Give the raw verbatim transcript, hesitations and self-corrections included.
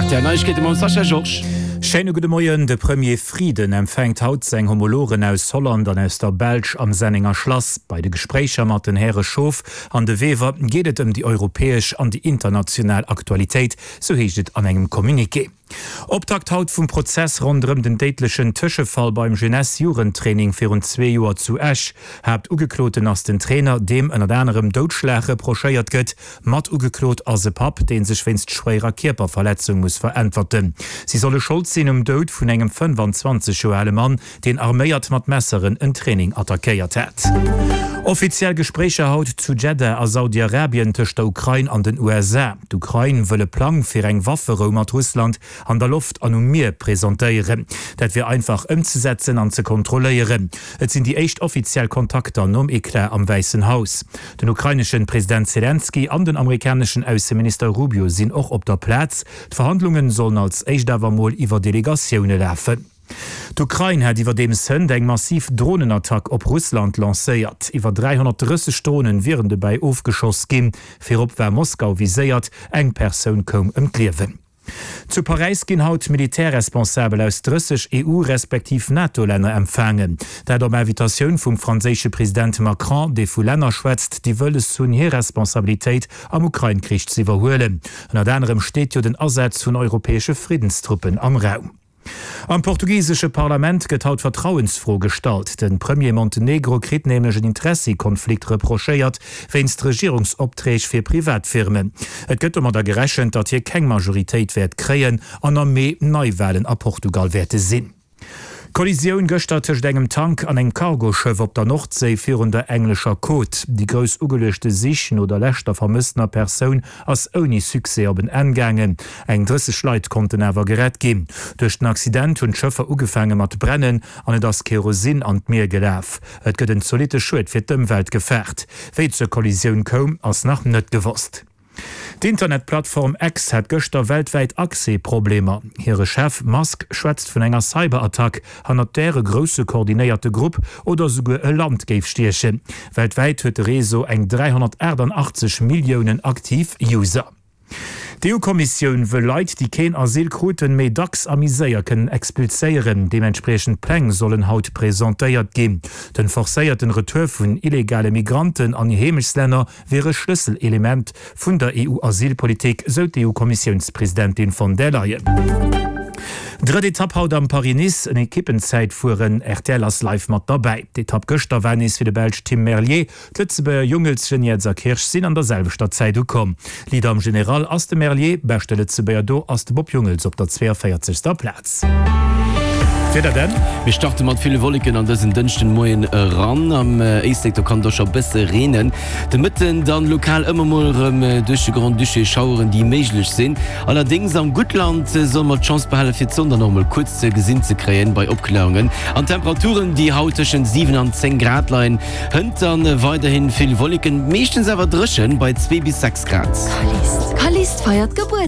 R T L Neiegkeete mam Sascha Georges. Schéine gudde Moien, De Premier Frieden empfänkt haut seng Homologen aus Holland an aus der Belsch am Sennenger Schlass. Bei de Gespréicher mat den Häre Schoof an De Wever geet et ëm déi europäesch an déi international Aktualitéit, sou heescht et an engem Communiqué. Optakt haut vum Prozess ronderëm den déidlechen Tëschefall beim Jeunesse-Jugendtraining virun zwee Joer zu Esch. Haaptugekloten ass den Trainer, deem ënnert anerem Doudschlag reprochéiert gëtt. Mat ugeklot ass e Papp, dee sech wéinst schwéierer Kierperverletzung muss veräntwerten. Si solle Schold sinn um Doud vun engem fënnfanzwanzeg Joer ale Mann, deen arméiert mat Messeren en Training attackéiert hat. Offiziell Gespréicher haut zu Jeddah a Saudi-Arabien tëscht der Ukrain an den U S A. D'Ukrain wëll e Plang fir eng Wafferou mat Russland an der Loft an um Mier presentéieren. Dat wier einfach ëmzesetzen an ze kontrolléieren. Et sinn déi éischt offiziell Kontakter nom Eclat am Wäissen Haus. Den ukraineschen President Selenskyj an den amerikaneschen Ausseminister Rubio sinn och op der Plaz. D'Verhandlungen sollen als éischt awer mol iwwer Delegatioune lafen. D'Ukrain hat iwwerdeems hënt eng massiv Dronenattack op Russland lancéiert. Iwwer dräihonnertdrësseg Dronen wieren dobäi ofgeschoss ginn. Virop war Moskau viséiert, eng Persoun koum ëm d'Liewen. Zu Paräis ginn haut Militärresponsabel aus drësseg E U respektiv NATO-Länner empfaangen. Dat op Invitatioun vum franséische President Macron, dee vu Länner schwätzt, déi wëlles hunn hir Responsabilitéit am Ukrain-Krich ze iwwerhuelen. Ënnert anerem steet jo den Asaz vun europäesche Friddenstruppen am Raum. Am portugisesche Parlament gëtt haut d'Vertrauensfro gestallt. De Premier Montenegro kritt nämlech en Interessekonflikt reprochéiert, wéinst Regierungsopträg fir Privatfirmen. Et gëtt domadder gerechent, datt hie keng Majoritéit wäert kréien an am Mee Neiwalen a Portugal wäerte sinn. Kollisioun gëschter tëscht engem Tank an engem Cargoschëff op der Nordséi virun der englescher Côte. Déi grouss ugeluechte Sich no der leschter vermësstener Persoun ass ouni Succès op en Enn gaangen. Eng drësseg Leit konnten awer gerett ginn. Duerch den Accident hunn d'Schëffer ugefaange mat brennen an et ass Kerosin an d'Mier gelaf. Et gëtt en zolitte Schued fir d'Ëmwelt gefaart. Wéi et zur Kollisioun koum, ass nach net gewosst. D'Internetplattform X hat gëschter weltwäit Accès-Problemer. Hire Chef Musk schwätzt vun enger Cyberattack, hannert där e grousse koordinéierte Grupp oder souguer e Land géif stiechen. Weltwäit huet de Réseau eng dräihonnertaachtanachtzeg Milliounen aktiv User. D'E U-Kommissioun wëll Leit, déi keen Asyl kruten, méi dacks a méi séier kënnen expulséieren. Deementspriechend Pläng sollen haut presentéiert ginn. Den forcéierten Retour vun illegale Migranten an hir Heemechtslänner wier e Schlësselelement vun der E U-Asylpolitik, sou d'E U-Kommissiounspresidentin von der Leyen. Drëtt Etapp haut am Paris-Nice, en Ekippenzäitfueren, R T L ass live mat derbäi. D'Etapp gëschter war nees fir de Belsch Tim Merlier. D'Lëtzebuerger Jungels, Geniets a Kirsch sinn an der selwechter Zäit ukomm. Leader am General ass de Merlier, beschte Lëtzebuerger do ass de Bob Jungels op der zweeënvéierzegster Plaz. Wieder denn? Mir starte mat ville Wolleken an dësen Dënschdenmoien eran. Am Éislek do kann et och scho bësse reenen. De Mëtten dann lokal ëmmer mol erëm duerch de Grand-Duché Schaueren, déi méiglech sinn. Allerdéngs am Guttland solle mer d'Chance behale fir d'Sonn dann och mol kuerz ze gesinn ze kréien bei Opkläerungen. An Temperaturen, déi haut tëschent siwen an zéng Grad leien. Hënt dann weiderhin vill Wolleken, meeschtens awer dréchen bei zwee bis sechs Grad. Callist feiert Gebuertsdag.